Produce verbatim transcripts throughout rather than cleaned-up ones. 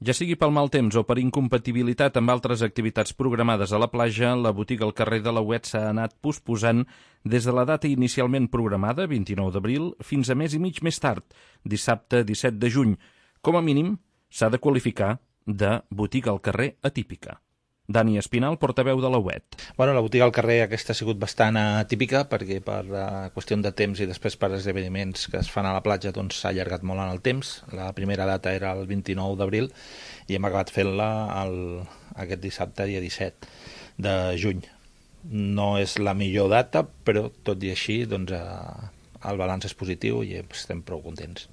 Ja sigui pel mal temps o per incompatibilitat amb altres activitats programades a la platja, la botiga al carrer de la Huet s'ha anat posposant des de la data inicialment programada, vint-i-nou d'abril, fins a mes i mig més tard, dissabte disset de juny. Com a mínim, s'ha de qualificar de botiga al carrer atípica. Dani Espinal, portaveu de la Huet. Bueno, la botiga al carrer aquesta ha sigut bastant atípica perquè per uh, qüestió de temps i després per esdeveniments que es fan a la platja doncs s'ha allargat molt en el temps. La primera data era el vint-i-nou d'abril i hem acabat fent-la el, aquest dissabte, dia disset de juny. No és la millor data, però tot i així doncs, uh, el balanç és positiu i estem prou contents.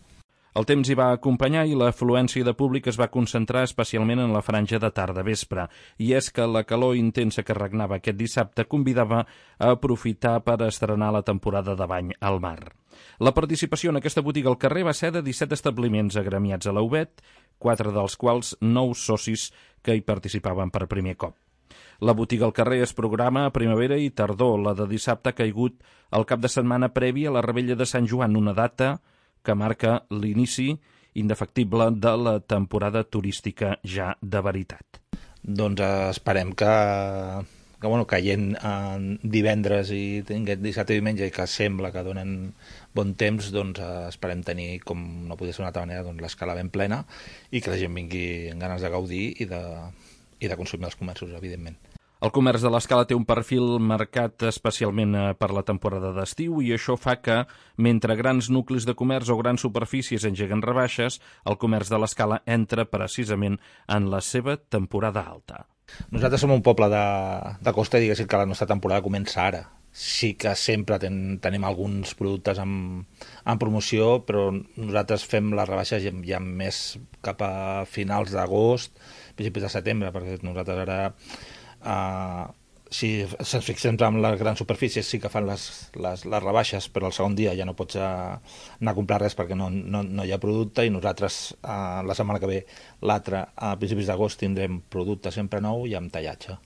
El temps hi va acompanyar i l'afluència de públic es va concentrar especialment en la franja de tarda-vespre, i és que la calor intensa que regnava aquest dissabte convidava a aprofitar per estrenar la temporada de bany al mar. La participació en aquesta botiga al carrer va ser de disset establiments agremiats a la Huet, quatre dels quals nous socis que hi participaven per primer cop. La botiga al carrer es programa a primavera i tardor, la de dissabte ha caigut el cap de setmana previ a la Revetlla de Sant Joan, una data que marca l'inici indefectible de la temporada turística ja de veritat. Doncs esperem que, que bueno, caient en divendres i tinguem dissabte i diumenge i que sembla que donen bon temps, doncs esperem tenir, com no podia ser d'una altra manera, doncs, l'escala ben plena i que la gent vingui amb ganes de gaudir i de, i de consumir els comerços, evidentment. El comerç de l'Escala té un perfil marcat especialment per la temporada d'estiu i això fa que, mentre grans nuclis de comerç o grans superfícies engeguen rebaixes, el comerç de l'Escala entra precisament en la seva temporada alta. Nosaltres som un poble de, de costa i diguéssim que la nostra temporada comença ara. Sí que sempre ten, tenim alguns productes en, en promoció, però nosaltres fem les rebaixes ja, ja més cap a finals d'agost, principis de setembre, perquè nosaltres ara... Uh, si ens fixem en les grans superfícies sí que fan les, les, les rebaixes, però el segon dia ja no pots uh, anar a comprar res perquè no, no, no hi ha producte, i nosaltres uh, la setmana que ve, l'altra, a principis d'agost tindrem producte sempre nou i amb tallatge.